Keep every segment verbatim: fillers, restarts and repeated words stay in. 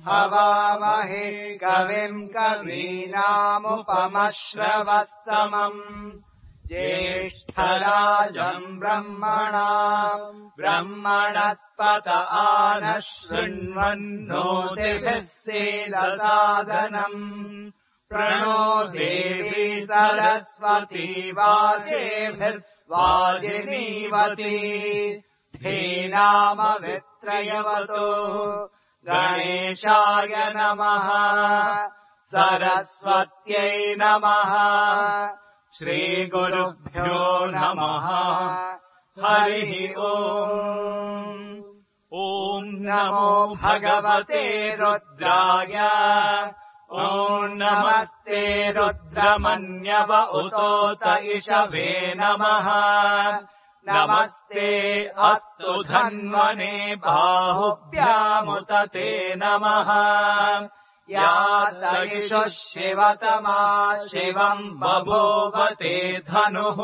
हवामहे कविम् कवीनामुपमश्रवस्तमम् ज्येष्ठराजम् ब्रह्मणाम् ब्रह्मणस्पत आनः शृण्वन्नोतिभिः सीदसादनम् प्रणो देवी सरस्वती वाजेभिर्वाजिनीवती धेनामवित्रयवतो गणेशाय नमः सरस्वत्यै नमः श्रीगुरुभ्यो नमः हरिः ओम् ॐ नमो भगवते रुद्राय ॐ नमस्ते रुद्रमन्यव उतोत इषवे नमः नमस्ते अस्तु धन्वने बाहुभ्यामुत ते नमः या तैषुः शिवतमा शिवम् बभूवते धनुः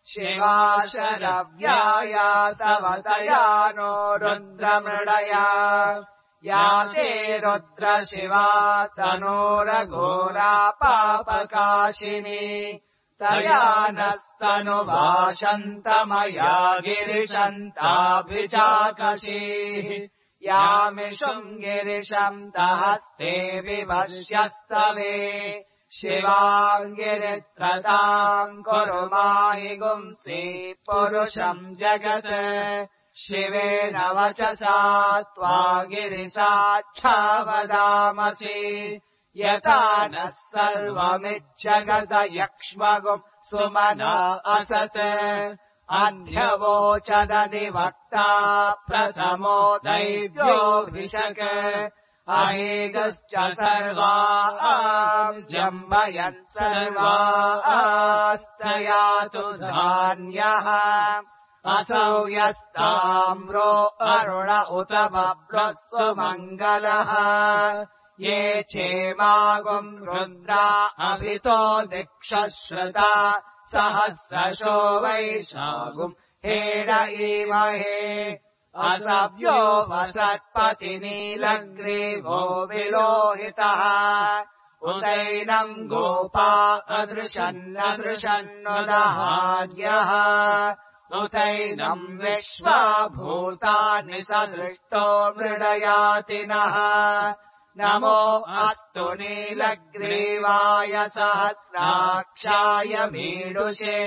शिवा शरव्याया तव तया नो रुद्रमृडया या ते रुद्र शिवा तनोरघोरा पापकाशिनी तया नस्तनुभाषन्तमया गिरिशन्ताभिचाकशीः यामिषुम् गिरिशम् तहस्ते विवश्यस्तवे शिवाम् गिरित्रताम् कुरु माहि गुंसि पुरुषम् जगत् शिवेन वचसा त्वा गिरिसाक्षावदामसि यथा नः सर्वमिज्जगत यक्ष्मगुम् सुमना असत् अन्ध्यवोचदधिवक्ता प्रथमो दैव्योऽभिषक् अहेगश्च सर्वाः जम्बयन् सर्वास्तयातु धान्यः असौ यस्ताम्रो अरुण उत बभ्रत्सु मङ्गलः ये चेमागुम् रुद्रा अभितो दिक्षश्रुता सहस्रशो वैशागुम् हेड ईमहे असव्यो वसत्पतिनीलग्रीवो विलोहितः उदैनम् गोपा अदृशन्नदृशन्नुदहार्यः उतैनम् विश्वा भूतानि सदृष्टो मृडयातिनः नमो अस्तु नीलग्रीवाय सहस्राक्षाय मीडुषे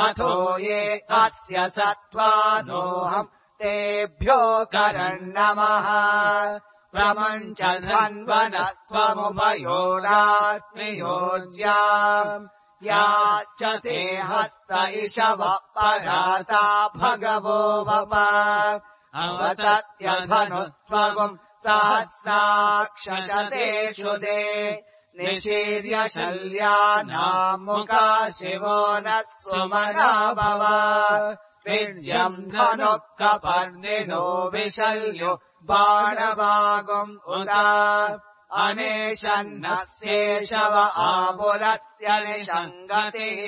अथो ये अस्य सत्त्वानोऽहम् तेभ्यो करन्नमः प्रमञ्च धन्वनस्त्वमुभयोरात्रियोज्याम् याश्च ते हस्त इषव पराता भगवो वप अवतत्यधनुस्त्वगुम् सहस्राक्षशतेषु दे निशीर्य शल्यानाम् मुखा शिवो नः सुमना भव विद्यम् धनुः कपर्दिनो विशल्यो बाणवागुम् उदा अनेशन्नस्येषव आपुरस्य निषङ्गतिः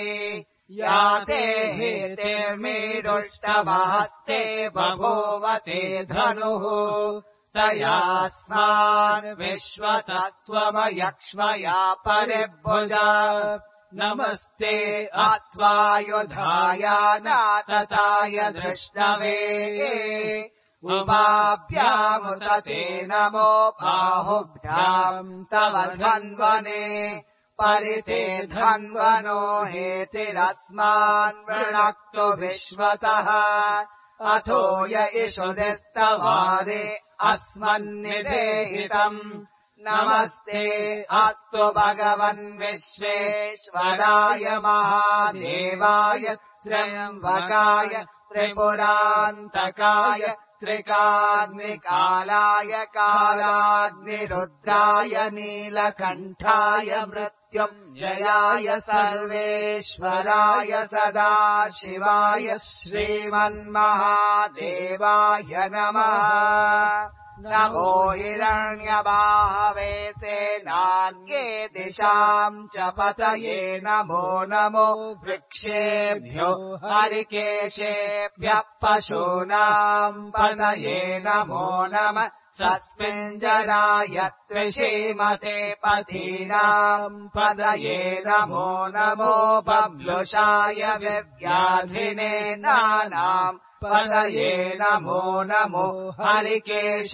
याते हेतेर्मीडुष्टमहस्ते बभूवते धनुः तयास्मान् विश्वतस्त्वमयक्ष्मया परिभुजा नमस्ते अत्वायुधाय नातताय दृष्णवे उभाभ्यामुत ते नमो बाहुभ्याम् तव धन्वने परिते धन्वनो हेतिरस्मान् वृणक्तु विश्वतः अथो य इषुदिस्तवारे अस्मन्निधेहितम् नमस्ते अस्तु भगवन् विश्वेश्वराय महादेवाय त्र्यम्बकाय त्रिपुरान्तकाय त्रिकाग्निकालाय कालाग्निरुद्राय नीलकण्ठाय मृत्युञ्जयाय सर्वेश्वराय सदाशिवाय श्रीमन्महादेवाय नमः नमो हिरण्यबाहवे सेनान्ये दिशाम् च पतये नमो नमो वृक्षेभ्यो हरिकेशेभ्यः पशूनाम् पतये नमो नमः सस्मिञ्जराय त्रिषीमते पथीनाम् पतये नमो नमो बब्लुषाय विव्याधिने नानाम् पतये नमो नमो हरिकेशायोपवीतिने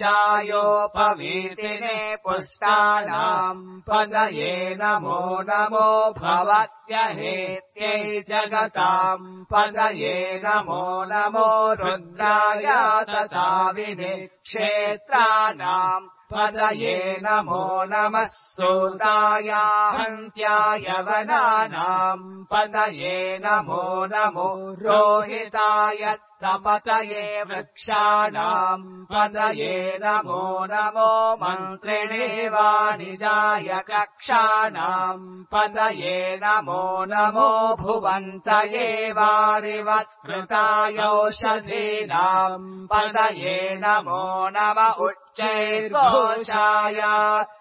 पुष्टानाम् पतये नमो नमो भवस्य हेत्यै जगताम् पतये नमो नमो रुद्राय तथाविने क्षेत्राणाम् पतये नमो नमः सूताय हन्त्याय वनानाम् पतये नमो नमो रोहिताय पतये वृक्षाणाम् पतये नमो नमो मन्त्रिणे वाणिजाय कक्षाणाम् पतये नमो नमो भुवन्तये वारिवस्कृतायौषधीनाम् पतये नमो नम उच्चैर्घोषाय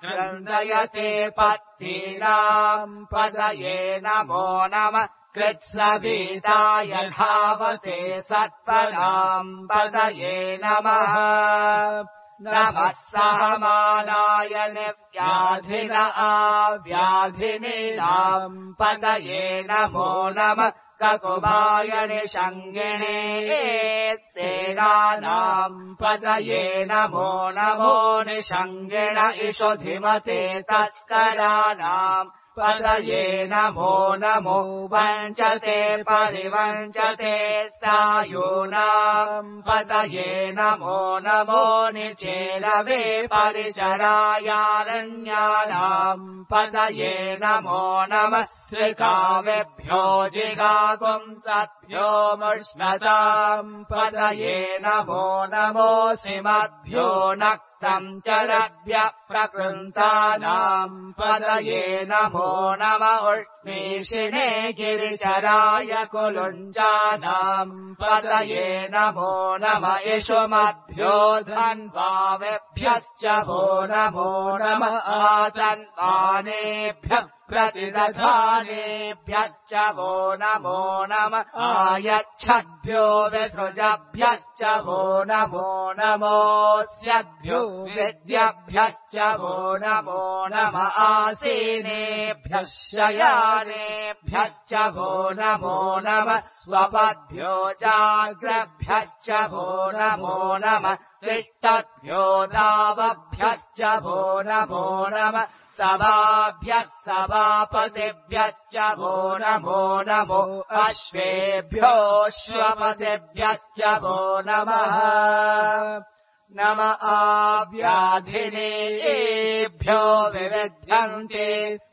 क्रन्दयते पत्नीनाम् पतये नमो नमः कृत्स्नभीताय धावते सत्पराम् पतये नमः नमः सहमानाय निव्याधिन आव्याधिनीनाम् पतये नमो नमः ककुभाय निषङ्गिणे सेनानाम् पतये नमो नमो निषङ्गिण इषुधिमते तस्कराणाम् पतये नमो नमो वञ्चते परिवञ्चते सायूनाम् पतये नमो नमो निचेलवे परिचरायारण्यानाम् पतये नमो नमः श्रिकावेभ्यो जिगागुंसद्भ्यो मुष्णताम् पतये नमो नमो सिमद्भ्यो नक्तम् चरभ्यः प्रकृन्तानाम् पतये नमो नम उष्मीषिणे गिरिचराय कुलुञ्जानाम् पतये नमो नम इषुमद्भ्यो धन्वावेभ्यश्च वो नमो नम आतन्वानेभ्यः प्रतिदधानेभ्यश्च वो नमो नम आयच्छद्भ्यो विसृजभ्यश्च वो नमो नमोऽस्यद्भ्यो विद्यभ्यश्च वो नमो नम आसीनेभ्यः शयानेभ्यश्च वो नमो नम स्वपद्भ्यो जाग्रभ्यश्च वो नमो नम तिष्ठद्भ्यो दावभ्यश्च वो नमो नम सभाभ्यः सभापतिभ्यश्च वो नमो नमो अश्वेभ्योऽश्वपतिभ्यश्च वो नमः नम आव्याधिनेभ्यो विविध्यन्ते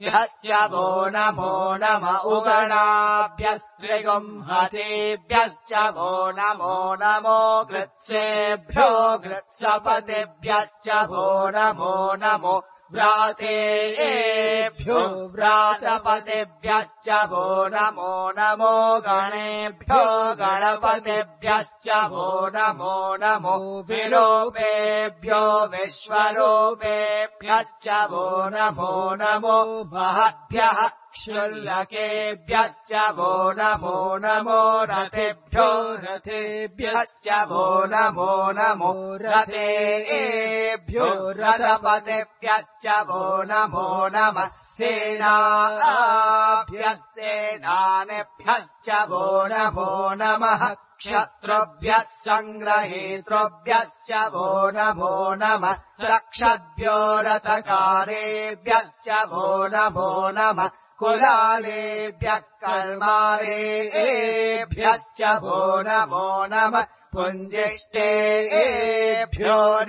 ह्यश्च वो नमो नम उगणाभ्यस्त्रिगुंहतेभ्यश्च वो नमो नमो गृत्सेभ्यो गृत्सपतिभ्यश्च वो नमो नमो व्रातेभ्यो व्रातपतिभ्यश्च वो नमो नमो गणेभ्यो गणपतिभ्यश्च वो नमो नमो विरूपेभ्यो विश्वरूपेभ्यश्च वो नमो नमो महद्भ्यः क्षुल्लकेभ्यश्च वो नमो नमो रथेभ्यो रथेभ्यश्च वो नमो नमो रथेभ्यो रथपतिभ्यश्च वो नमो नमः सेनाभ्यः सेनानेभ्यश्च वो नमो नमः क्षत्रुभ्यः सङ्ग्रहेतृभ्यश्च वो नमो नमः रक्षद्भ्यो रथकारेभ्यश्च वो नमो नमः कुलालेभ्यः कर्मारेभ्यश्च वो नमो नमः पुञ्जिष्टेभ्यो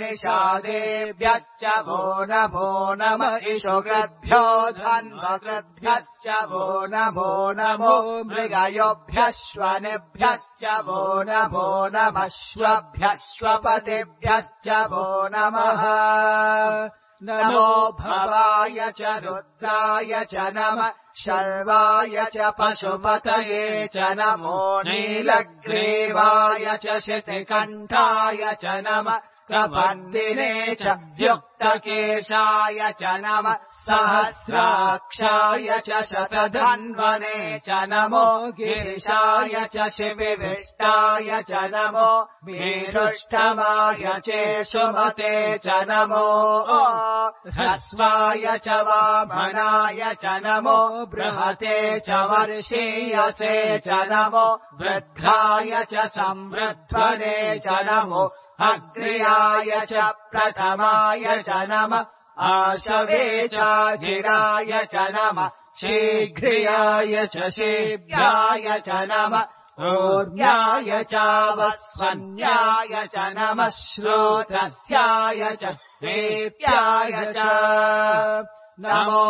निषादेभ्यश्च वो नमो नमः इषुकृद्भ्यो धन्वकृद्भ्यश्च वो नमो नमो मृगयोभ्यश्वनेभ्यश्च वो नमो नमः श्वभ्यश्वपतिभ्यश्च वो नमः नमो भवाय च रुद्राय च नमः शर्वाय च पशुपतये च नमो नीलग्रीवाय च शितिकण्ठाय च नमः कपर्दिने च व्युक्तकेशाय च नमः सहस्राक्षाय च शतधन्वने च नमो गिरिशाय च शिविविष्टाय च नमो वीरुष्टमाय चेषुमते च नमो ह्रस्वाय च वामनाय च नमो बृहते च वर्षीयसे च नमो वृद्धाय च संवृध्वने च नमो अग्र्याय च प्रथमाय च नमः आशवे चाजिराय च नमः शीघ्रियाय च शीघ्राय च नमः ऊर्ध्याय चावस्वन्याय च नमः श्रोत्रस्याय च हेप्याय च नमो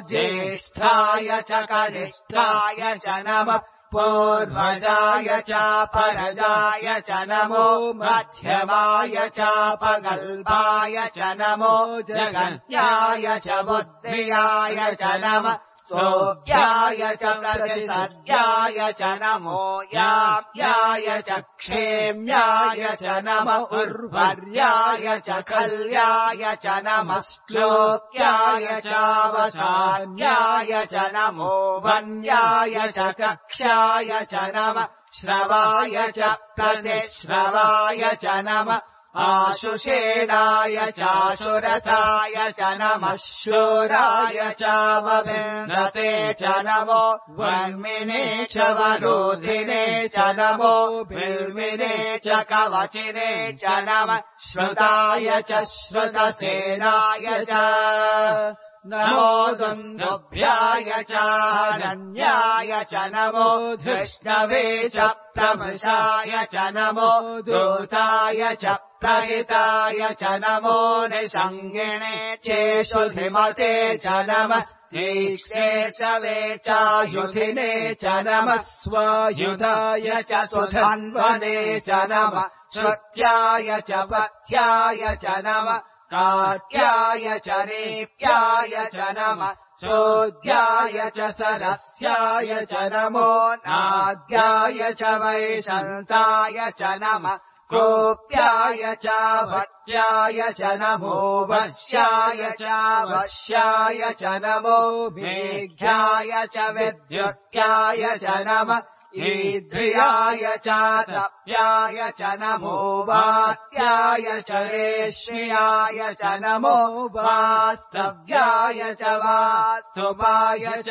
ज्येष्ठाय च कनिष्ठाय च नमः पूर्वजाय चापरजाय च नमो मध्यमाय चापगल्भाय च नमो जगन्याय च बुद्धियाय च नमः सोऽप्याय च प्रतिसर्याय च नमो याप्याय च क्षेम्याय च नमः उर्वर्याय च कल्याय च नमः श्लोक्याय चावसान्याय च नमो वन्याय च कक्ष्याय च नमः श्रवाय च प्रतिश्रवाय च नमः आशुषेणाय चाशुरथाय च नमः शूराय चावविन्दते च नमो वर्मिने च वरोधिने च नमो बिल्मिने च कवचिने च नमः श्रुताय च श्रुतसेनाय च नमो दुन्दुभ्याय चारण्याय च नमो धृष्णवे च प्रमृषाय च नमो दूताय च प्रहिताय च नमो निषङ्गिणे चेषुधिमते च नमः तीक्ष्णेशवे चायुधिने च नमः स्वायुधाय च सुधन्वने च नमः श्रुत्याय च पथ्याय च नमः काट्याय च रेप्याय च नमः चोद्याय च सरस्याय च नमो नाद्याय च वैशन्ताय च नमः कोप्याय च भट्याय च नमो वश्याय च वश्याय च नमो मेघ्याय च विद्युत्याय च नमः ईद्रियाय च तप्याय च नमो वात्याय च रेष्म्याय च नमो वास्तव्याय च वास्तुपाय च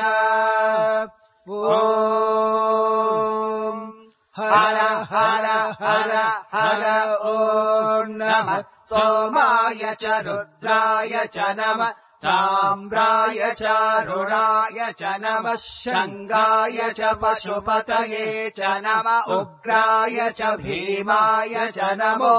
ॐ हर हर हर हर ॐ नमः सोमाय च रुद्राय च नमः ताम्राय च रुणाय च नमः शङ्गाय च पशुपतये च नमः उग्राय च भीमाय च नमो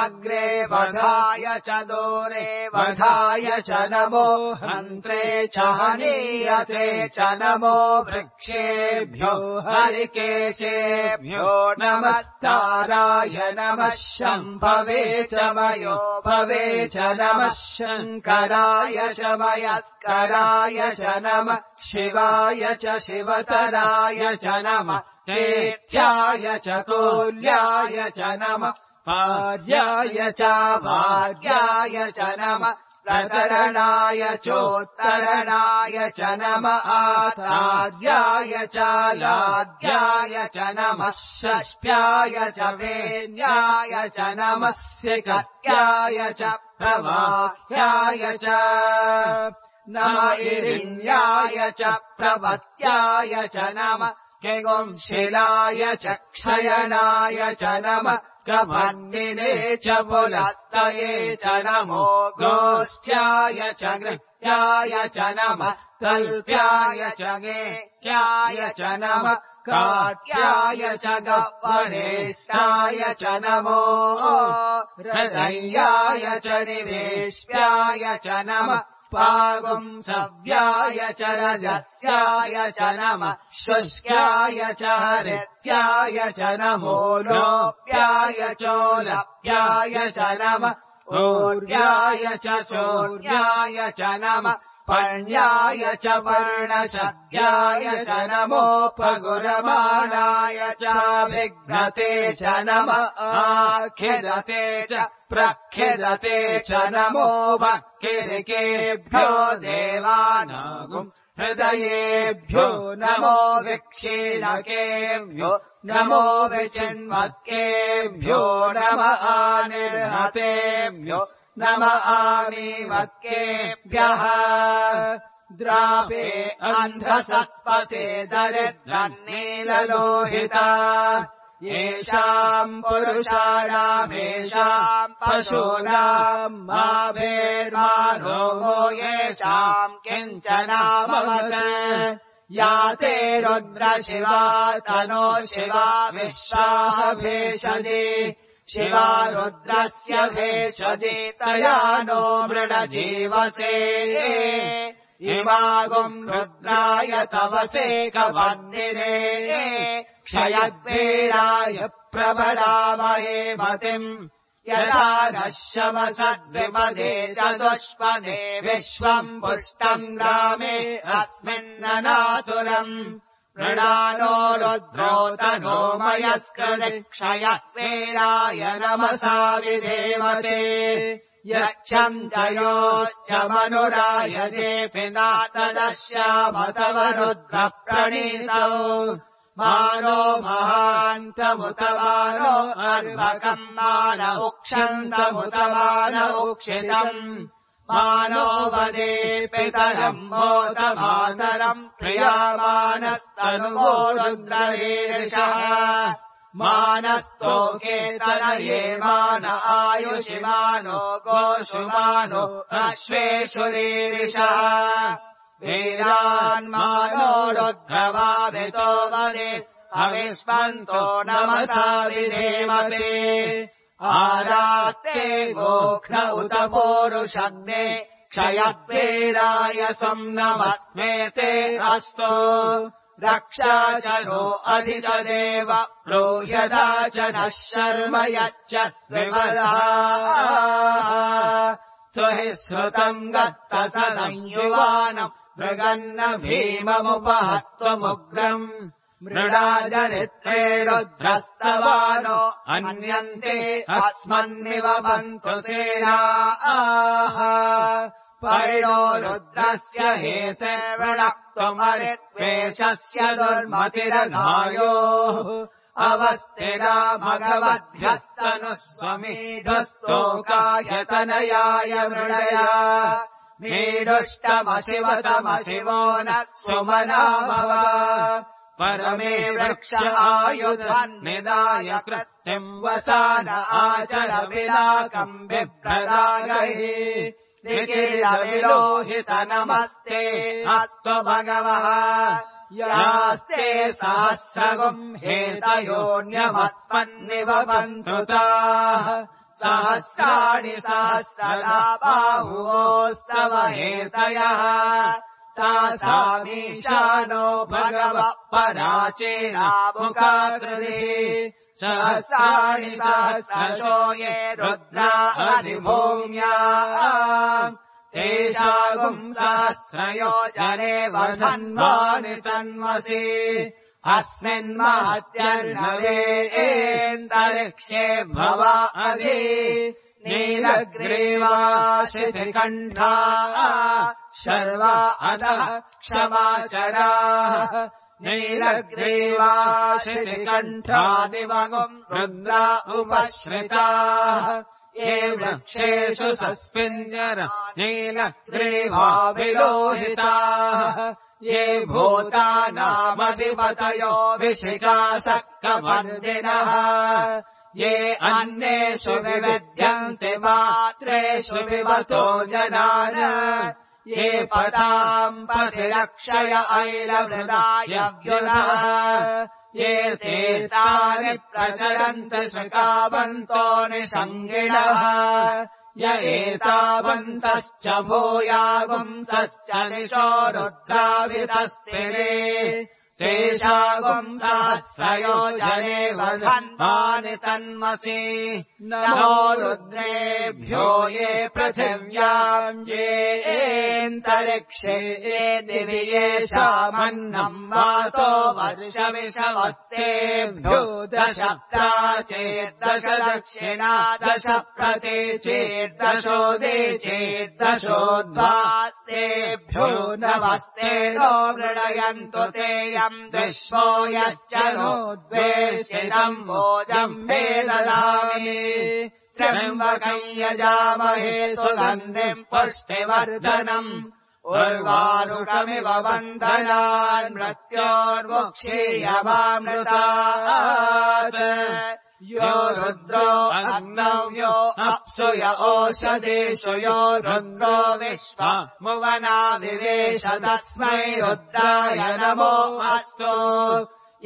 अग्रे वधाय च दूरे वधाय च नमो हन्त्रे च हनीयते च नमो वृक्षेभ्यो हरिकेशेभ्यो नमस्ताराय नमः शम्भवे च मयो भवे च नमः शङ्कराय च मयत्कराय च नमः शिवाय च शिवतराय च नमः तेथ्याय च कोल्याय च नमः पार्याय च भार्याय च नमः प्रतरणाय चोत्तरणाय च नमः आचार्याय च लाद्याय च नमः षष्ठ्याय च वेन्याय च नमः सिकत्याय च प्रवाह्याय च नमः इरिण्याय च प्रपत्याय च नमः किगुंशिलाय च क्षयनाय च नमः कपर्दिने च पुलस्तये च नमो गोष्ठ्याय च गृह्याय च नमः तल्प्याय च गेह्याय च नमः काट्याय च गह्वरेष्ठाय च नमो हृदयाय च निवेश्याय च नमः पागुंसव्याय च रजस्याय च नमः शुष्क्याय च हरित्याय च नमो लोप्याय चोलप्याय च नमः ऊर्याय च सूर्याय च नमः पर्ण्याय च वर्णशद्याय च नमोपगुरमाणाय च विघ्नते च नम आखिदते च प्रखिदते च नमो भक्तिरिकेभ्यो देवानागुम् हृदयेभ्यो नमो विक्षीणकेभ्यो नमो विचिन्वत्केभ्यो नम आनिर्हतेभ्यो नम आमीवत्केभ्यः द्रापे अन्धसस्पते दरिद्रन्नीललोहिता येषाम् पुरुषाणामेषाम् पशूनाम् माभेर्मानो वो येषाम् किञ्चनामवत् या ते रुद्रशिवा तनो शिवा विश्वाः भेषजे शिवा रुद्रस्य भेषजे तया नो मृडजीवसे इमागुम् रुद्राय तवसे कवन्दिरे क्षयद्वीराय प्रबलामहे मतिम् यथा नः शमसद्विपदे चतुष्पदे विश्वम् पुष्टम् ग्रामे अस्मिन्ननातुरम् मृणानो रुद्रो तनो मयस्कृतिक्षयद्वीराय नमसा विधेमते यच्छम् जयोश्च मनुरायते पिनातदश्यामतव रुद्र प्रणीतौ मानो महान्तमुतमानो अर्भकम् मान उक्षन्तमुतमान उक्षितम् मानो वदे पितरम् मोदमातरम् प्रियामानस्तनुवो रुद्ररीरिषः मानस्तोके तनये मान आयुषिमानो गोषुमानो अश्वेषु रीरिषः वीरान्मानो रुद्रवाभितो वदे अविस्मन्तो नमसा विधेमते आरात्ते गोघ्न उत पोरुषग्ने क्षयद्वीराय सम्नमत्मेते अस्तु रक्षा च नो अधि च देव प्रोयदा च नः शर्म यच्च विमला त्वहि श्रुतम् गत्त सदंयुवानम् मृगन्न भीममुपहत्वमुग्रम् मृडाजरित्रे रुद्रस्तवानो अन्यन्ते अस्मन्निव बन्तु सेनाः परिणो रुद्रस्य हेतेर्वृणक्त्वमरित्वेषस्य दुर्मतिरघायोः अवस्थिरा भगवद्भ्यस्तनुः स्वमीढुस्तोकायतनयाय मृडया मीडुष्टमशिवतमशिवो न सुमनाभव परमे वृक्ष आयुधन्निदाय कृत्तिम् वसान आचर विलाकम् बिभ्रदागैः निखिलविलोहित नमस्ते अत्व भगवः यास्ते सहस्रगुम् हेतयोऽन्यमस्मन्निव बन्तु ताः सहस्राणि सहस्रदा बाहुवोस्तव हेतयः तासामीशानो भगवः पराचीनामुखाकृतिः सहस्राणि सहस्रशो ये रुद्रा अधिभूम्या तेषागुम् सहस्रयोजने वधन्वानि तन्वसि अस्मिन्महत्यर्णवेन्दरिक्षे भवा अधि नीलग्रीवाशितिकण्ठा शर्वा अधः क्षमाचराः नीलग्रीवाशितिकण्ठादिवगुम् रुद्रा उपश्रिताः ये वृक्षेषु सस्मिन्यर नीलग्रीवाभिलोहिताः ये भूतानामधिपतयो विशिखासक्कवर्दिनः ये अन्येषु विविध्यन्ति मात्रेषु विवतो जनान् ये पताम् पथिरक्षय ऐलवृदायव्युनः ये तीर्थानि प्रचरन्ति सुखावन्तो निषङ्गिणः य एतावन्तश्च भूयागुंसश्च निशो रुद्रावितस्तिरे तेषागुम् सहस्रयोजने वधन्तानि तन्मसि नमो रुद्रेभ्यो ये पृथिव्याम् ये एन्तरिक्षे ये दिवि येषामन्नम् वातो वर्षविषवत्तेभ्यो दश प्राचेर्दश दक्षिणा दश प्रतीचेर्दशोदे चेर्दशोद्धात्तेभ्यो नमस्ते नो मृडयन्तु ते यम् विश्वो यश्च नो द्वेषितम् भोजम् मे ददामि त्र्यम्बकम् यजामहे सुगन्धिम् पुष्टिवर्धनम् उर्वारुकमिव बन्धनान् मृत्योर्मुक्षीयमामृतात् यो रुद्रो अग्नव्यो अप्सु य ओषधेषु यो रुद्रो विश्वमुवना विवेश तस्मै रुद्राय नमो अस्तु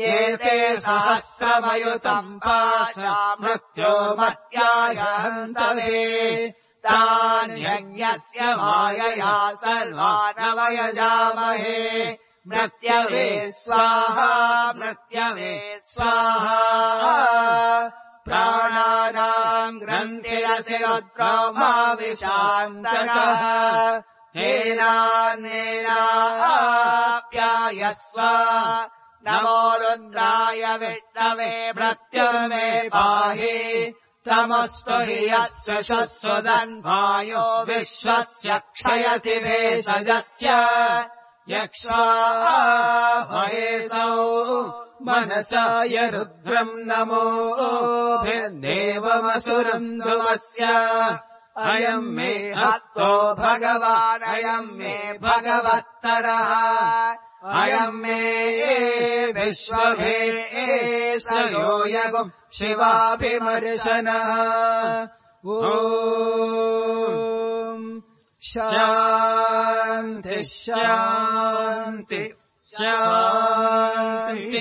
ये ते सहस्रमयुतम् पाशा मृत्योमत्याय हन्तवे तान्यज्ञस्य मायया सर्वानवयजामहे मृत्यवे स्वाहा मृत्यवे स्वाहा प्राणानाम् ग्रन्थिरसि रुद्रोमाविशान्तकः तेनान्येनाप्यायस्व नमो रुद्राय विष्णवे मृत्युर्मे पाहि तमस्तु हि यस्य शश्वदन्वायो विश्वस्य क्षयति भेषजस्य यक्ष्वा महेशौ मनसाय रुद्रम् नमो देवमसुरम् ध्रुवस्य अयम् मे हस्तो भगवान् अयम् मे भगवत्तरः अयम् मे विश्वभे एषयो यगुम् शिवाभिमर्शनः ॐ शान्ति शान्ति शान्तिः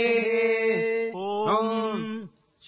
ॐ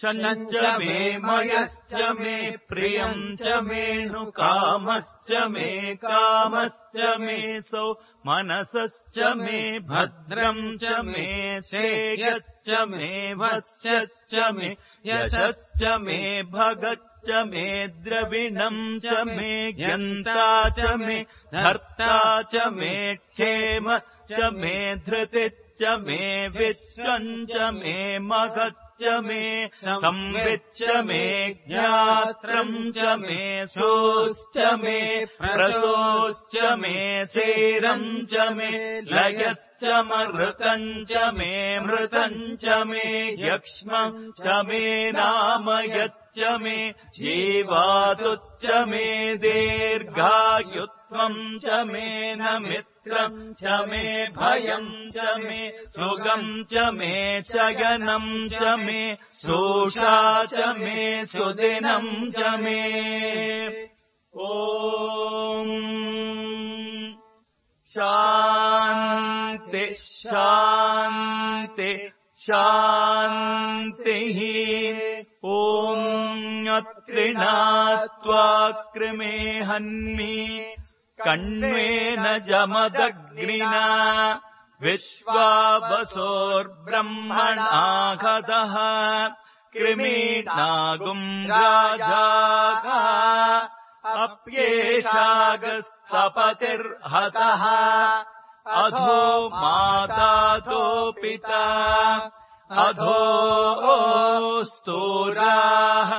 शनञ्च मे मयश्च मे प्रियम् च मेऽनुकामश्च मे कामश्च मे सौ मनसश्च मे भद्रम् च मे श्रेयश्च मे वत्स्यश्च मे यशश्च मे भगच्च मे द्रविणम् च मे ज्ञन्ता च मे धर्ता च मे क्षेमश्च मे धृतिश्च मे विश्वम् च मे महत् च मे संविच्च मे ज्ञात्रम् च मे सोश्च मे प्रसोश्च मे सेरम् च मे लयश्च मृतम् च मे मृतम् च मे यक्ष्मम् च मे नामयच्च मे जीवातुश्च मे दीर्घायुत्वम् च मे नमित्रम् च मे भयम् च मे सुगम् च मे चयनम् च मे सोषा च मे सुदिनम् च मे ॐ शान्ति शान्ति शान्तिः ॐ अत्रिणात्वा कृमे हन्मि कण्वेन जमदग्निना विश्वावसोर्ब्रह्मणाघतः कृमीनागुम् राजाः अप्येषागस्तपतिर्हतः अधो मातातो पिता अधो स्तूराः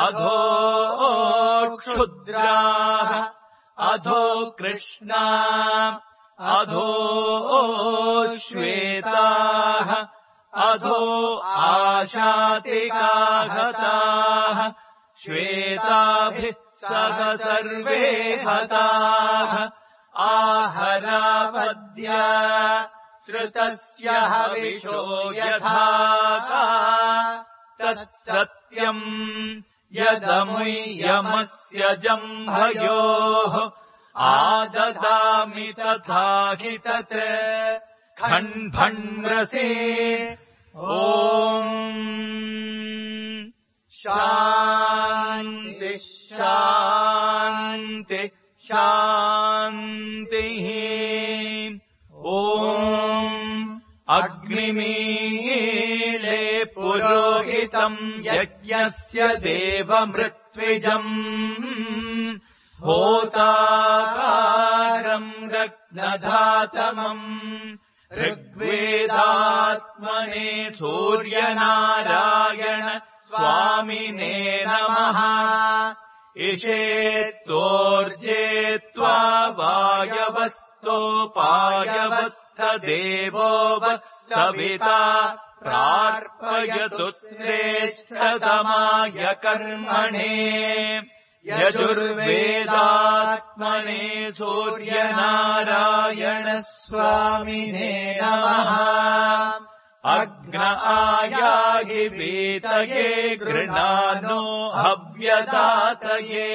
अधो क्षुद्राः अधो कृष्णा अधो श्वेताः अधो आशातिकाहताः श्वेताभिः सह सर्वे हताः आहरावद्या श्रुतस्य हविषो यथा तत्सत्यम् यदमुय्यमस्य जम्भयोः आददामि तथा हि तत् खण्भण्रसे ॐ शान्ति शान्ति शान्तिः ॐ अग्निमीले पुरोहितम् यज्ञस्य देवमृत्विजम् होताकारम् रत्नधातमम् ऋग्वेदात्मने सूर्यनारायण स्वामिने नमः इषेत्तोर्जे त्वा वायवस्तोपायवस्थदेवो वः सविता प्रार्पयतु श्रेष्ठतमाय कर्मणे यजुर्वेदात्मने सूर्यनारायण स्वामिने नमः अग्न आयाहि वीतये गृणानो हव्यदातये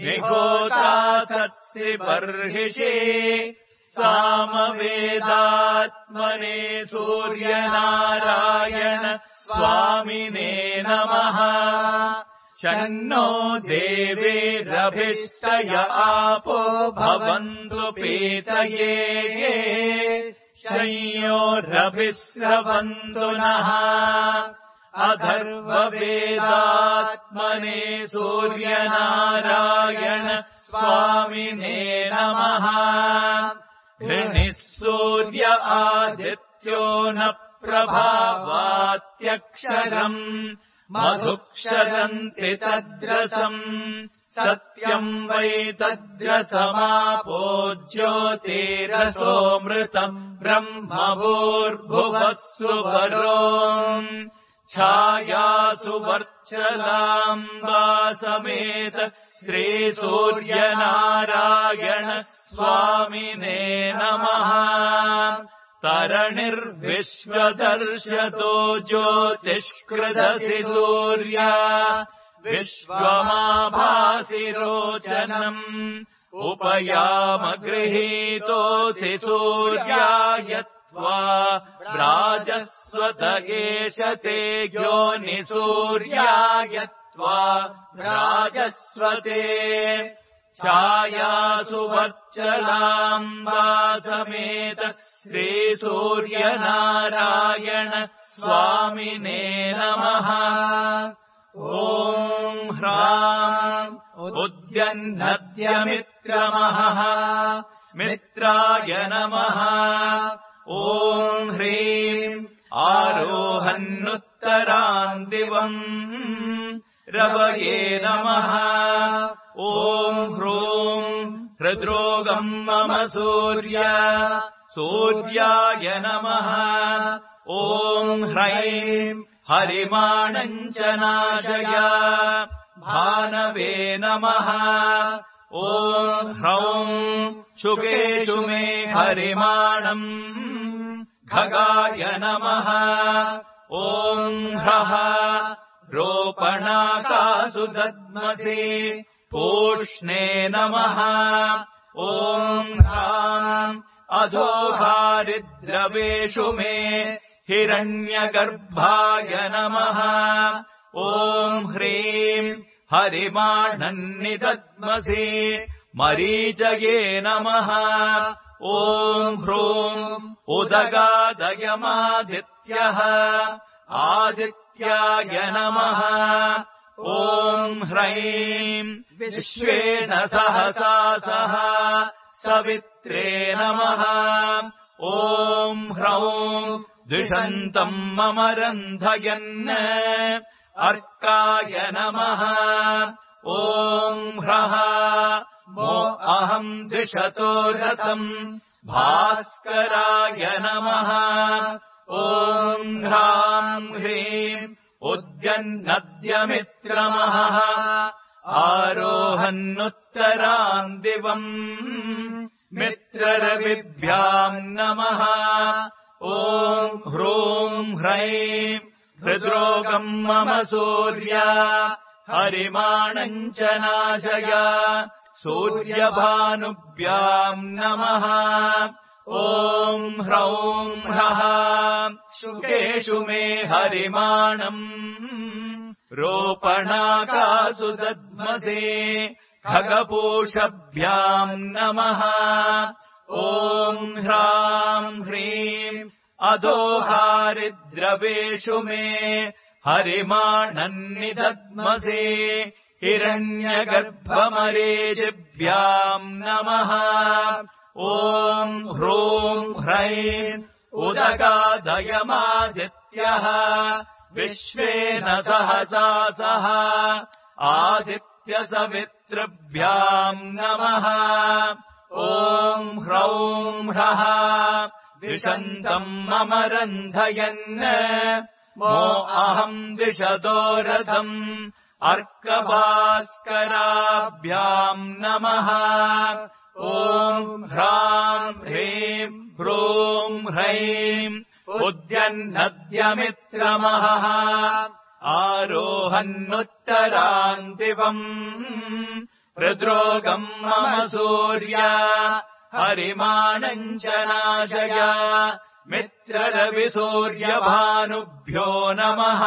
निहोता सत्सि बर्हिषि सामवेदात्मने सूर्यनारायण स्वामिने नमः शन्नो देवीरभिष्टय आपो भवन्तु पीतये शंयोरभिश्रवन्तु नः अथर्ववेदात्मने सूर्यनारायण स्वामिने नमः ऋणिः सूर्य आदित्यो न प्रभावात्यक्षरम् मधुक्षरन्ति तद्रसम् सत्यम् वै तद्रसमापो ज्योतिरसोऽमृतम् ब्रह्मभूर्भुवः सुवरो छायासु वर्चलाम्बा समेत श्रीसूर्यनारायण स्वामिने नमः तरणिर्विश्वदर्शतो ज्योतिष्कृदसि सूर्य विश्वमाभासि रोचनम् उपयाम गृहीतोऽसि सूर्यायत्वा राजस्वत एष ते योनिसूर्यायत्वा राजस्वते छायासु वर्चलाम्बा समेत श्रीसूर्यनारायण स्वामिने नमः ॐ ह्राम् उद्यन्नद्यमित्रमहः मित्राय नमः ॐ ह्रीम् आरोहन्नुत्तरान् दिवम् रवये नमः ॐ ह्रूम् हृद्रोगम् मम सूर्य सूर्याय नमः ॐ ह्रैम् हरिमाणम् च नाशय भानवे नमः ॐ ह्रौम् शुकेषु मे हरिमाणम् खगाय नमः ॐ ह्रः रोपणाकासु दद्मसि पूष्णे नमः ॐ ह्राम् अधोहारिद्रवेषु मे हिरण्यगर्भाय नमः ॐ ह्रीम् हरिमाणन्निदद्मसि मरीचये नमः ॐ ह्रूम् उदगादयमादित्यः आदित्याय नमः ॐ ह्रैम् विश्वेन सहसा सह सवित्रे नमः ॐ ह्रौम् द्विषन्तम् मम रन्धयन् अर्काय नमः ॐ ह्रः मो अहम् द्विषतो रथम् भास्कराय नमः ॐ ह्राम् ह्रीम् उद्यन्नद्यमित्रमहः आरोहन्नुत्तरान् दिवम् मित्ररविभ्याम् नमः ॐ ह्रूम् ह्रैम् हृद्रोगम् मम सूर्य हरिमाणम् च नाशय सूर्यभानुभ्याम् नमः ॐ ह्रौम् ह्रः शुकेषु मे हरिमाणम् रोपणाकासु दद्मसे खगपूषभ्याम् नमः ॐ ह्राम् ह्रीम् अधो हारिद्रवेषु मे हरिमाणन्निदध्मसे हिरण्यगर्भमरीचिभ्याम् नमः ॐ ह्रूं ह्रैं उदगादयमादित्यः विश्वेन सहसा सह आदित्यसवितृभ्याम् नमः ॐ ह्रौं ह्रः दिशन्तम् मम रन्धयन् मो अहम् दिशतो रथम् अर्कभास्कराभ्याम् नमः ॐ ह्रां ह्रीं ह्रूं ह्रैं उद्यन्नद्यमित्रमहः आरोहन्नुत्तरान्तिवम् हृद्रोगम् मम सूर्य हरिमाणम् च नाशय मित्ररविसूर्यभानुभ्यो नमः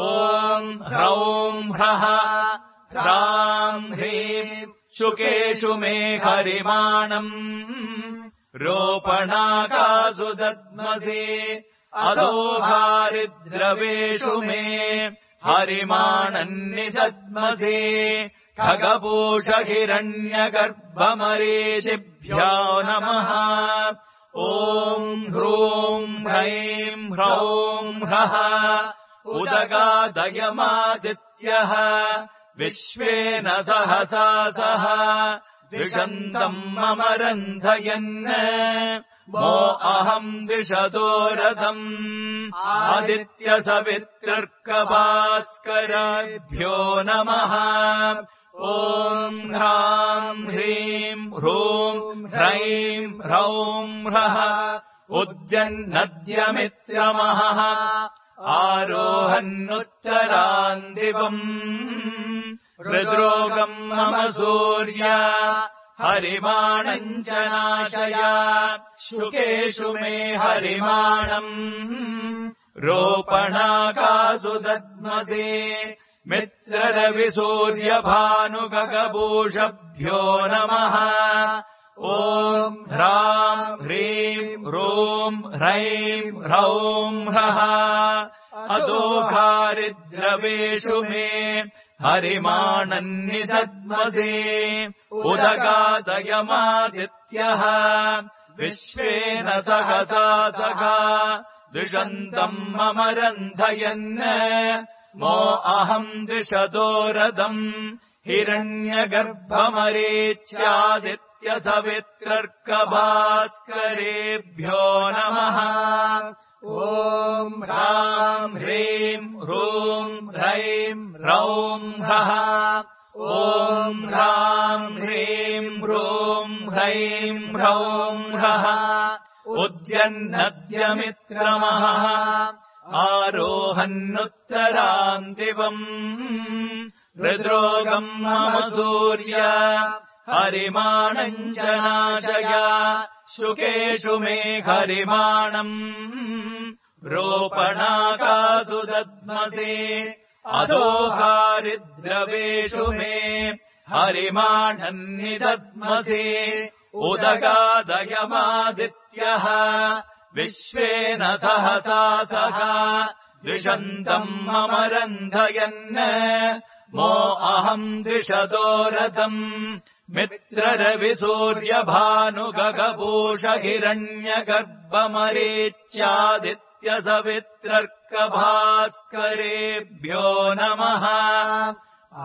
ॐ ह्रौं ह्रः ह्रां ह्रीं शुकेषु मे हरिमाणम् रोपणाकासु दद्मसि अधो हारिद्रवेषु मे हरिमाणन्निदध्मसि खगपूषहिरण्यगर्भमरीचिभ्यो नमः ॐ ह्रूं ह्रैं ह्रौं ह्रः उदगादयमादित्यः विश्वेन सहसा सह द्विषन्तम् मम रन्धयन् मो अहम् दिशतो रथम् आदित्यसवितृर्कभास्कराभ्यो नमः ॐ ह्रां ह्रीं ह्रूं ह्रैं ह्रौं ह्रः उद्यन्नद्यमित्रमहः आरोहन्नुत्तरान्दिवम् हृद्रोगम् मम सूर्य हरिमाणम् च नाशय शुकेषु मे हरिमाणम् रोपणाकासु दद्मसि मित्ररविसूर्यभानुगगभूषभ्यो नमः ॐ ह्रां ह्रीं ह्रूं ह्रैं ह्रौं ह्रः अधो हारिद्रवेषु मे हरिमाणन्निदध्मसि उदगादयमादित्यः विश्वेन सहसा सह द्विषन्तम् मम रन्धयन् मो अहम् दिशतो रथम् हिरण्यगर्भमरीच्यादित्यसवितृर्कभास्करेभ्यो नमः ॐ ह्रां ह्रीं ह्रूं ह्रैं ह्रौं ह्रः ॐ ह्रां ह्रीं ह्रूं ह्रैं ह्रौं ह्रः उद्यन्नद्यमित्रमहः आरोहन्नुत्तरान्तिवम् हृद्रोगम् मम सूर्य हरिमाणम् च नाशय शुकेषु मे हरिमाणम् रोपणाकासु दद्मसि अधो हारिद्रवेषु मे हरिमाणन्निदध्मसि उदगादयमादित्यः विश्वेन सहसा सह द्विषन्तम् मम रन्धयन् मो अहम् द्विषतो रथम् मित्ररविसूर्यभानुगगभूषहिरण्यगर्भमरीच्यादित्यसवितृर्कभास्करेभ्यो नमः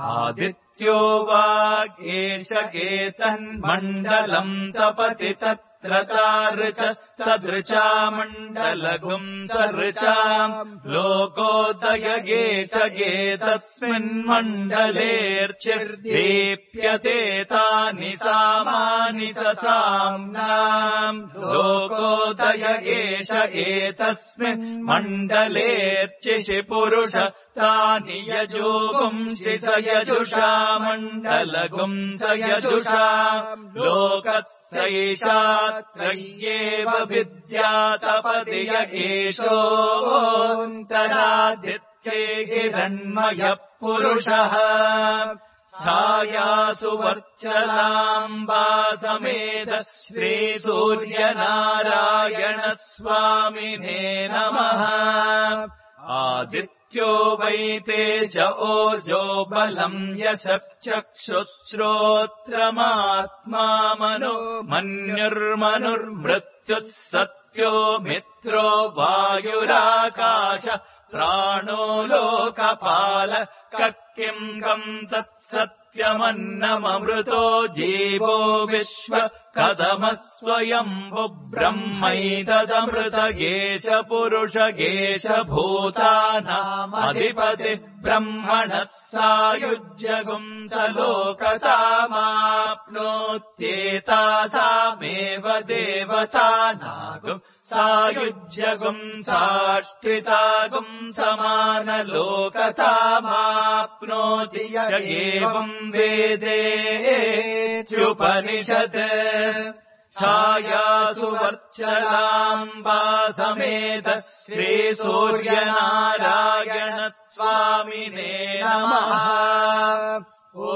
आदित्यो वागेश केतन्मण्डलम् तपति तत्र तार्चस्तदृचा मण्डलघुम् तर्चाम् लोकोदयगे च गेतस्मिन्मण्डलेऽर्चिर्दीप्यते तानि सामानि ससाम्नाम् लोकोदयगे च एतस्मिन्मण्डलेऽर्चिषि पुरुषस्तानि यजोगुंसि स यजुषा मण्डलघुम् स यजुषा लोकत्सैषात्रय्येव विद्यातपति य एषोऽन्तरादित्ये हिरण्मयः पुरुषः छायासु वर्चलाम्बा समेत श्रीसूर्यनारायणस्वामिने नमः। आदित्यो वैते च ओजो बलम् यशश्चक्षुश्रोत्रमात्मा मनो मन्युर्मनुर्मृत्युः सत्यो मित्रो वायुराकाश प्राणो लोकपाल किम् कम् तत्सत्यमन्नममृतो जीवो विश्व कथमः स्वयम्भु ब्रह्मैतदमृत गेश पुरुष गेश भूतानामधिपति ब्रह्मणः सायुज्यगुम् स लोकतामाप्नोत्येतासामेव देवतानागुम् सायुज्यगुम् साष्टितागुम् समानलोकतामाप्नोति य एवम् वेदेत्युपनिषत्। छायासु वर्चलाम्बा समेत श्रीसूर्यनारायण स्वामिने नमः। ॐ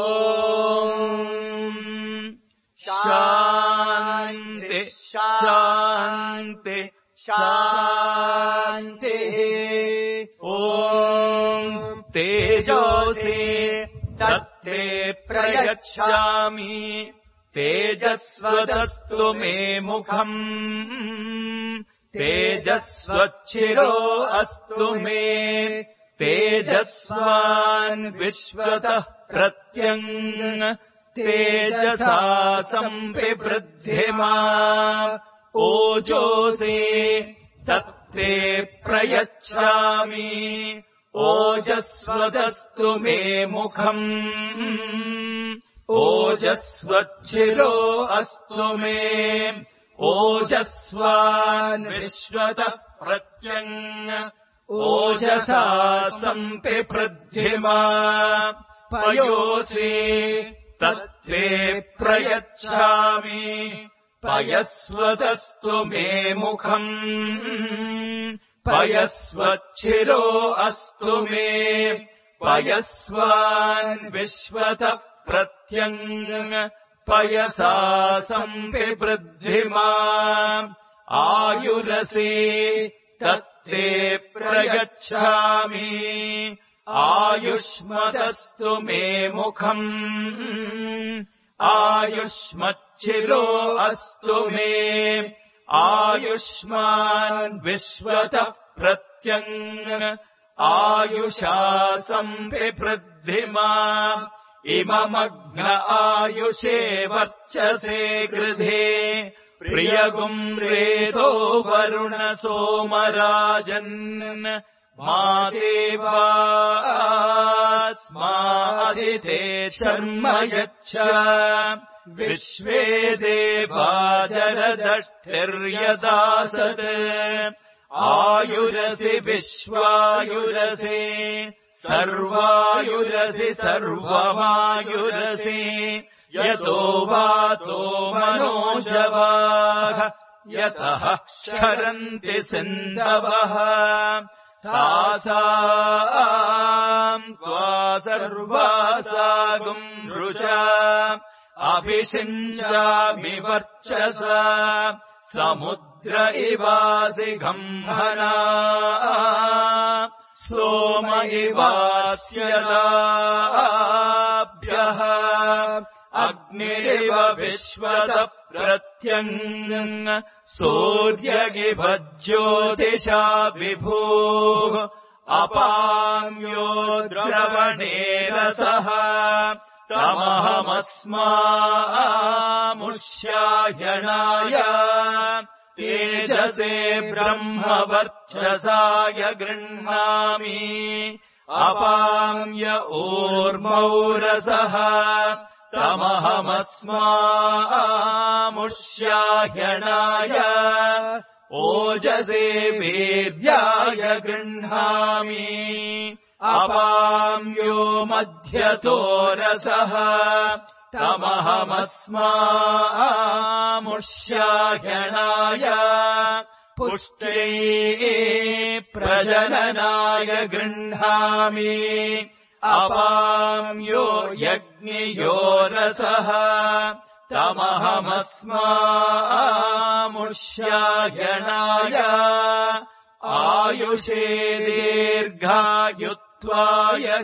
शान्ति शान्ति शान्तिः। ॐ तेजोसि तत्ते प्रयच्छामि तेजस्वतस्तु मे मुखम् तेजस्वच्छिरो अस्तु मे तेजस्वान् विश्वतः प्रत्यङ् तेजसा सम्पिवृद्धिमा। ओजोसि तत्ते प्रयच्छामि ओजस्वतस्तु मे मुखम् ओजस्वच्छिरो अस्तु मे ओजस्वान् विश्वतः प्रत्यङ् ओजसा सम्पिवृद्धिमा। पयोसि तत्ते प्रयच्छामि पयस्वतस्तु मे मुखम् पयस्वच्छिरो अस्तु मे पयस्वान् विश्वतः प्रत्यङ् पयसा सम्पिवृद्धिमा। आयुरसि तत्ते प्रयच्छामि आयुष्मदस्तु मे मुखम् आयुष्मच्छिरो अस्तु मे आयुष्मान् विश्वतः प्रत्यङ् आयुषा सम्पिवृद्धिमा। इममग्न आयुषे वर्चसे गृधे प्रियगुम् रेतो वरुण सोमराजन् मा देवास्मादिते शर्म यच्छ विश्वे देवा जलदष्टिर्यदासत्। आयुरसि विश्वायुरसि सर्वायुरसि सर्वमायुरसि यतो वातो मनोजवाः यतः क्षरन्ति सिन्धवः तासाम् त्वा सर्वासागुम् रुचा अभिषिञ्चामि वर्चसा समुद्र इवासि गम्भना सोम इवास्यदाभ्यः अग्निरिव विश्वतः प्रत्यङ् सूर्यगिव ज्योतिषा विभुः अपाम्यो द्रवणे रसः तमहमस्मामुष्यायणाय तेजसे ब्रह्मवर्चसाय गृह्णामि अपाम्य ऊर्मौ रसः तमहमस्मामुष्यायणाय ओजसे वीर्याय गृह्णामि अपाम्यो मध्यतो रसः तमहमस्मामुष्यायणाय पुष्ट्यै प्रजननाय गृह्णामि अपाम्यो यज्ञयो रसः तमहमस्मामुष्यायणाय आयुषे दीर्घायुत्वाय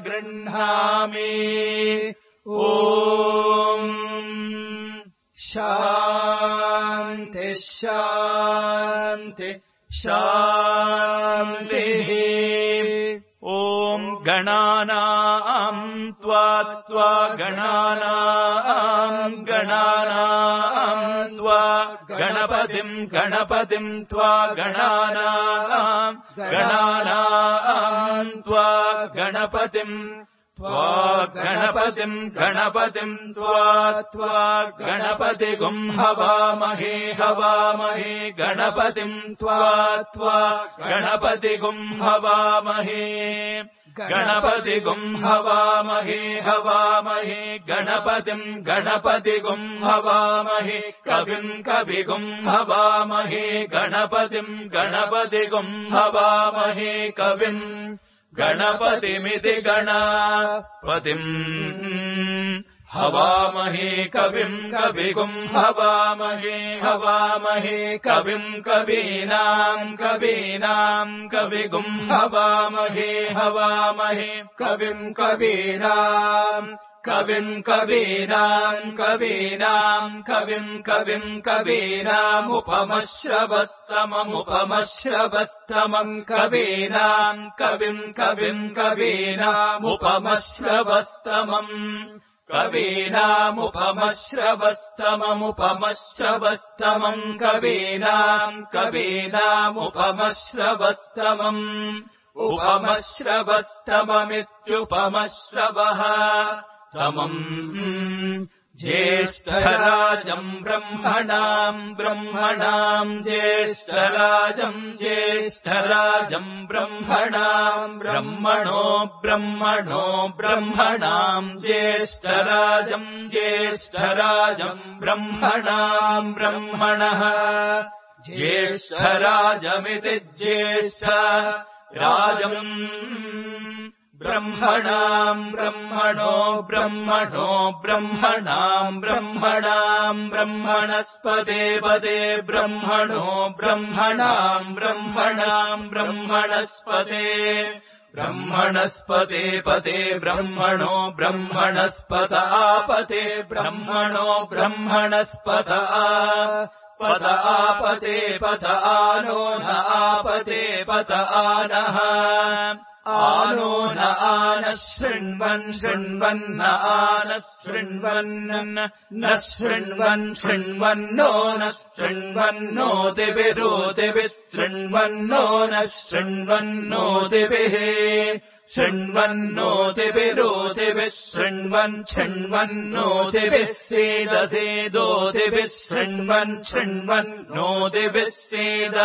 गृह्णामि ॐ शान्ति शान्ति शान्तिः ॐ गणानाम् त्वा त्वा गणानाम् गणानाम् त्वा गणपतिम् गणपतिम् त्वा गणानाम् गणानाम् त्वा गणपतिम् त्वा गणपतिम् गणपतिम् त्वा त्वा गणपतिगुम् हवामहे हवामहे गणपतिम् त्वा त्वा गणपतिगुम् हवामहे गणपतिगुम् हवामहे हवामहे गणपतिम् गणपतिगुम् हवामहे कविम् कविगुम् हवामहे गणपतिम् गणपतिगुम् हवामहे कविम् गणपतिमिति गणपतिम् हवामहे कविम् कविगुम् हवामहे हवामहे कविम् कवीनाम् कवीनाम् कविगुम् हवामहे हवामहे कविम् कवीनाम् कविम् कवीनाम् कवीनाम् कविम् कविम् कवीनामुपमश्रवस्तममुपमश्रवस्तमम् कवीनाम् कविम् कविम् कवीनामुपमश्रवस्तमम् कवीनामुपमश्रवस्तममुपमश्रवस्तमम् कवीनाम् कवीनामुपमश्रवस्तमम् उपमश्रवस्तममित्युपमश्रवः तमम् ज्येष्ठराजम् ब्रह्मणाम् ब्रह्मणाम् ज्येष्ठराजम् ज्येष्ठराजम् ब्रह्मणाम् ब्रह्मणो ब्रह्मणो ब्रह्मणाम् ज्येष्ठराजम् ज्येष्ठराजम् ब्रह्मणाम् ब्रह्मणः ज्येष्ठराजमिति ज्येष्ठ राजम् ब्रह्मणाम् ब्रह्मणो ब्रह्मणो ब्रह्मणाम् ब्रह्मणाम् ब्रह्मणस्पते पदे ब्रह्मणो ब्रह्मणाम् ब्रह्मणाम् ब्रह्मणस्पते ब्रह्मणस्पते पदे ब्रह्मणो ब्रह्मणस्पत आपते ब्रह्मणो ब्रह्मणस्पत पद आपते पद आनो न आपते पद आनः आनो न आनः शृण्वन् शृण्वन्न आनः शृण्वन् न शृण्वन् शृण्वन्नो न शृण्वन्नोतिभिरोतिभिः शृण्वन्नो न शृण्वन्नोतिभिः शृण्वन्नोतिभिरोतिभिः शृण्वन् शृण्वन्नोतिभिः सेदसेदोतिभिः शृण्वन् शृण्वन्नोतिभिः सेद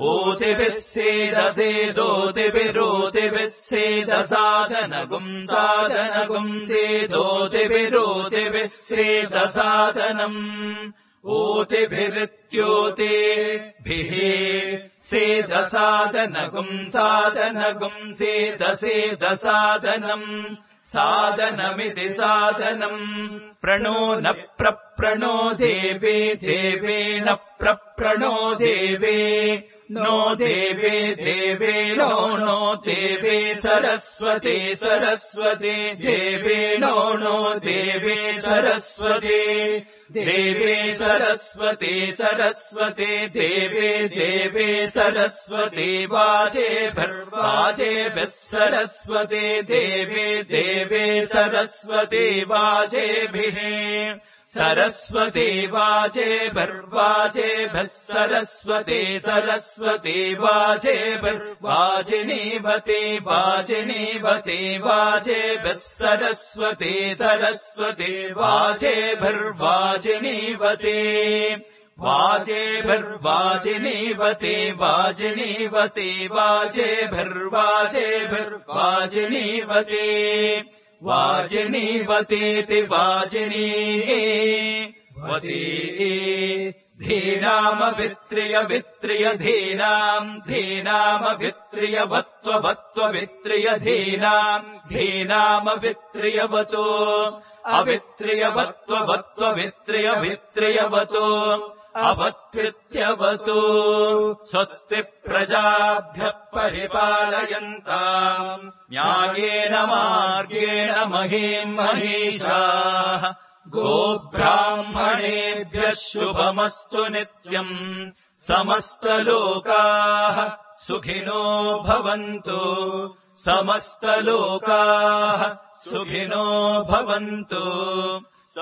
ओतिभिः सेदसेदोतिभिरोतिभिः सेदसाधनगुम् साधनगुम् सेदोतिभिरोतिभिः सेदसाधनम् ओतिभिरित्योतिभिः सेदसाधनगुम् साधनगुम् सेदसेदसाधनम् साधनमिति साधनम् प्रणो न प्रप्रणो देवे देवेन प्रप्रणो देवे नो देवे देवे नो नो देवे सरस्वती सरस्वती देवे नो नो देवे सरस्वती देवे सरस्वती सरस्वती देवे देवे सरस्वती वाजेभिर्वाजेभिः सरस्वती देवे देवे सरस्वती वाजेभिः सरस्वती वाजेभिर्वाजेभिः सरस्वती सरस्वती वाजेभिर्वाजिनीवती वाजिनीवती वाजेभिः सरस्वती सरस्वती वाजेभिर्वाजिनीवती वाजेभिर्वाजिनीवती वाजिनीवती वाजेभिर्वाजेभिर्वाजिनीवती वाजिनीवतीति वाजिनीवती धीनामभित्रिय वित्रिय धीनाम् धीनामभित्रियवत्व वत्व वित्रिय धीनाम् धीनामभित्रियवतो अवित्रियवत्व वत्व वित्रिय वित्रियवतो अवत्वित्यवतो स्वस्ति प्रजाभ्यः परिपालयन्ताम् न्यायेन मार्गेण महीम् महीषाः गोब्राह्मणेभ्यः शुभमस्तु नित्यम् समस्तलोकाः सुखिनो भवन्तु समस्तलोकाः सुखिनो भवन्तु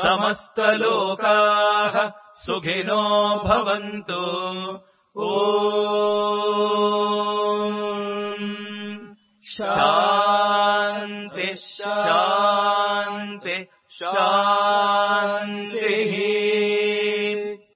समस्तलोकाः सुखिनो भवन्तु ॐ शान्ति शान्ति शान्तिः